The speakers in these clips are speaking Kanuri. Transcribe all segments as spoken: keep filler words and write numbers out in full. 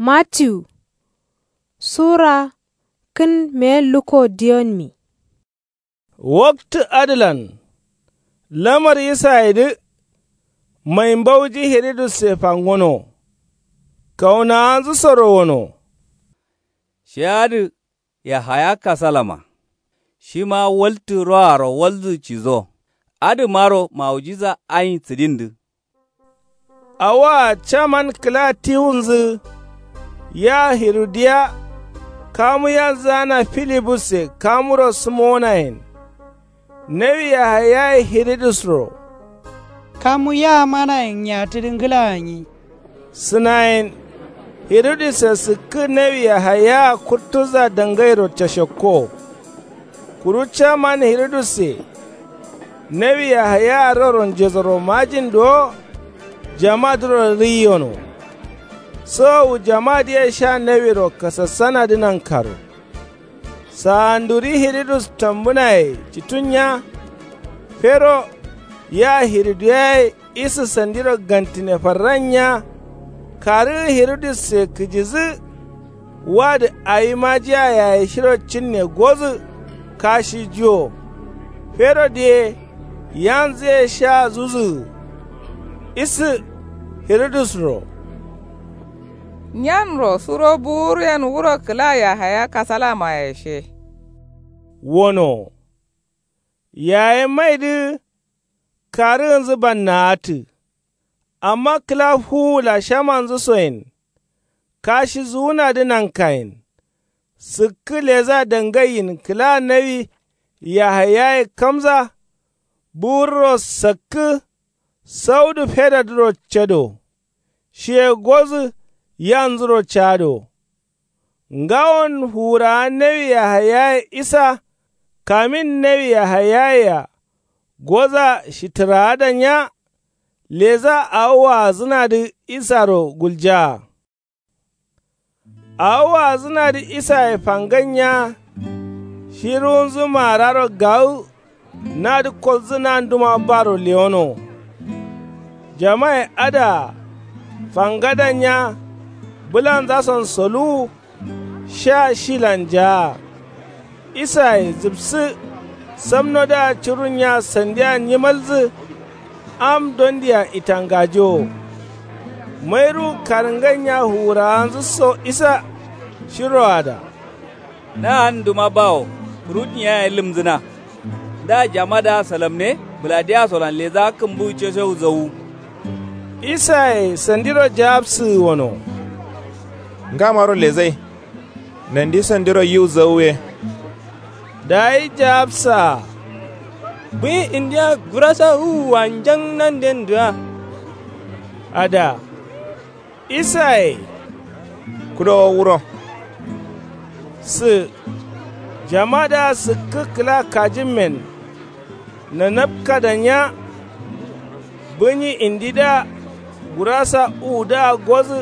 Mattiyu sura kǝn meyen lukko diyonmi. Waktǝ adǝlan lamar isayedǝ mai mbauji hiridusse fangono. Kaunawanzǝsoro wono. Shi adǝ yahaya kasalama. Shima waltǝ roaro walzǝ cizo. Adǝmaro mawujiza ayin sǝdindǝ. Awoa caman kǝla tiwunzǝ ya hirudiya. Kamu yanzǝgana filibusse kamuro sǝmonayen. Nawi yahayaye hiridusro. Kamu yamanayen nyatǝdǝ ngǝla gǝnyi. Sǝnayen hirudusse sǝkkǝ nawi yahayaa kurtuza dangairo cashakko. Kuru caman hirudusse nawi yahayaa roro njesoro majin duwo. Jamadǝro rǝiyono. Sowowu jamadǝye sha nawiro kasassanadǝ nankaro. Sawanduri hiridus tambǝnaye citunnya. Fero ya hiriduyaye isǝ sandiro gantǝne farrannya. Karǝgǝ hiridusse kǝjizǝ wadǝ awi majiya yaye shiro cinne gozǝ. Kashi juwo fero diye yanzǝye sha zuzǝgǝ. Isǝ hiridusro. Nyanro suro buwuryen wuro kǝla yahaya kasalamaye she. Wono yaye maidǝ karǝgǝnzǝ bannaatǝ. Amma kǝla fuwu lashamanzǝsoyen kashizuwunadǝ nankayen. Sǝkkǝ leza dangaiyin kǝla nawi yahayaye kamza. Buwurro sakkǝ saudu fedadǝro cado. Shiye gozǝ yanzuro cado. Ngawon fuwurawa nawi yahayaye isa kamin nawi yahayayea goza shitǝraada nya. Leza awo waazǝnadǝ isaro guljaa. Awo waazǝnadǝ isaye fangannya. Shi ruwunzǝ maararo gawu nadǝ kolzǝ nanduma baro lewono. Jamaye adǝa fangadannya. Bǝlanzason soluwu sha shilan jaa. Isaye zǝbsǝ samnodǝa curunnya sandia nyimalzǝ. Am dondia itangajowo. Mairuwu karǝngannya fuwurawanzǝ so isa shiroada. Naan duma bawo kurutnye yaye lǝmzǝna. Nda jamadǝa salamne bǝladiyasolan leza kǝmbuwu ceshewu zawu. Isaye sandiro jawabsǝgǝ wono. Ngamaro lezai. Nandi sandiro yiwu zawu ye. Dayi jawabsaa. Bǝyi indiya gurasa uwua njan nandendǝa. Ada isaye kudowo wuro. Sǝ jamadǝa sǝkkǝ kǝla kajimmen. Nanapkada nya. Bǝnyi indidǝa gurasa uwudǝa gozǝ.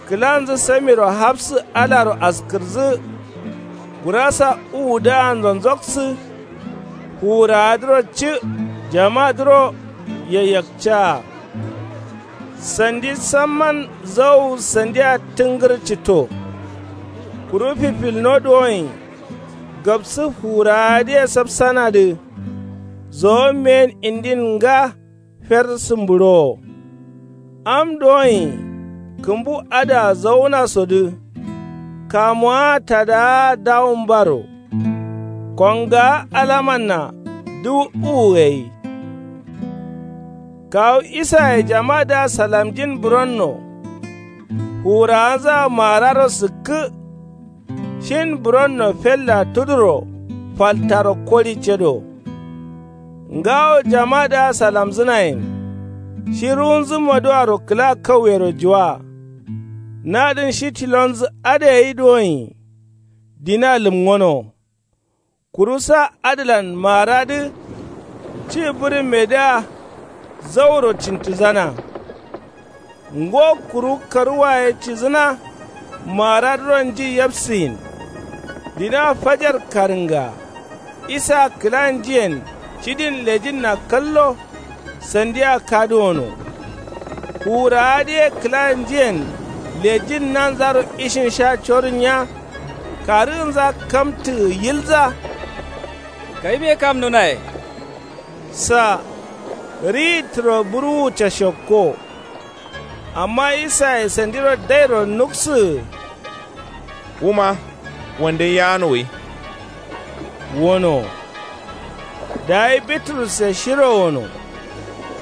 Kǝlanzǝ samiro hafsǝ alaro askǝrǝzǝ. Gurasa uwudǝa nzonzoksǝ. Fuwurawadǝro cǝ jamadǝro yayyakcaa. Sandi samman zawu sandia tǝngǝr cǝtto. Kuru fifilno duwonyi gabsǝ fuwurawadǝye sapsanadǝ. Zowo meyen indin nga. Fer sǝmbǝɍowo am dowoin kǝmbu adǝa zaunasodǝ. Kamuwaa tadawaa dawumbaro. Kongawa alamanna dǝwu uwu gai. Kawu isaye jamadǝa salamjin bǝronno. Fuwurawanzǝa maararo sǝkkǝ. Shin bǝronno fella tuduro faltaro kori cedo. Ngawo jamadǝa salamzǝnayen. Shi ruwunzǝ maduaro kǝla kauyero juwa. Nadǝn shi tilonzǝ adǝ gai duwonyi. Dina lǝmngono. Kuru sa adǝlan maaradǝ. Ci bǝrǝmmedǝa zauro cintǝzana. Ngo kuru karuwa ye cizǝna. Maaradǝro nji yabsiyin. Dina fajar karǝnga. Isa kǝla njiyen cidin lejinna kallo. Sandia kaduwono. Fuwurawadǝ ye kǝla njiyen Lejin nanzaro ishin sha corǝnya. Karǝgǝnza kamtǝgǝ yilza. Kaibe kam nunaye. Sa riyi tǝro burwuwu cashokko. Amma isaye sandiro dairo nuksǝgǝ. Wuma wande yano gai. Wono. Dayi bitrusse shiro wono.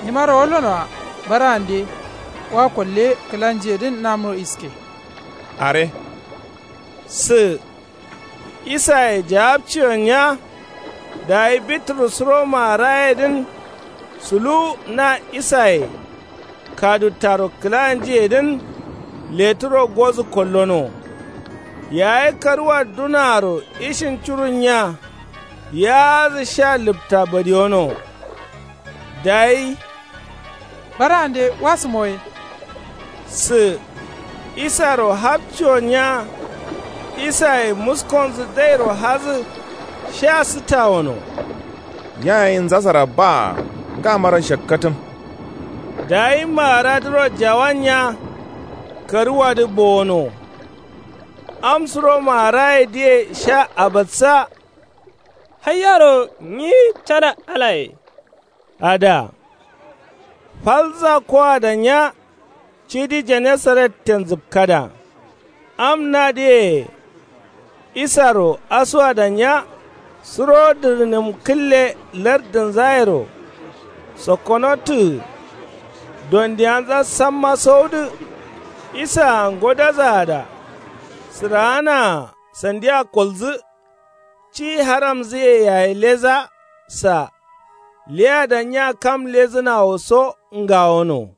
Nimaro wallono-a. Barande wa kolle kǝlanjiyedǝn namro iske. Are. Sǝ. Isaye jawabciyo nya. Dayi bitrus suro maarayedǝn suluwu na isaye kaduttaro kǝlanjiyedǝn leturo gozǝ kollono. Yayi karuwa dunaaro ishin curun nya. Yaazǝ sha lǝpta badiyono. Dayi. Barande wasǝmo ye. Sǝ. Isaro hapciyo nya. Isaye muskonzǝ dairo hazǝ. Sha sǝtawono. Nya gai nzasara baa. Ngamaro shakkatǝm. Dayi maaradǝro jawan nya. Karuwadǝ bowono. Am suro maarayedǝye sha abatsa. Haiyaro nyi cana alaye. Ada. Falza koada nya. Cidi jenesaretten zǝpkada. Am nadǝye. Isaro asuwada nya. Suro dǝrnǝm kǝlle lardǝnzayero. Sokkonotǝgǝ. Dondiyanza samma sowudǝ. Isaa ngodazaada. Sǝraanaa sandia kolzǝ. Ci haramzǝye yayi leza. Sa. Leyada nya kam lezǝnawo so ngawono.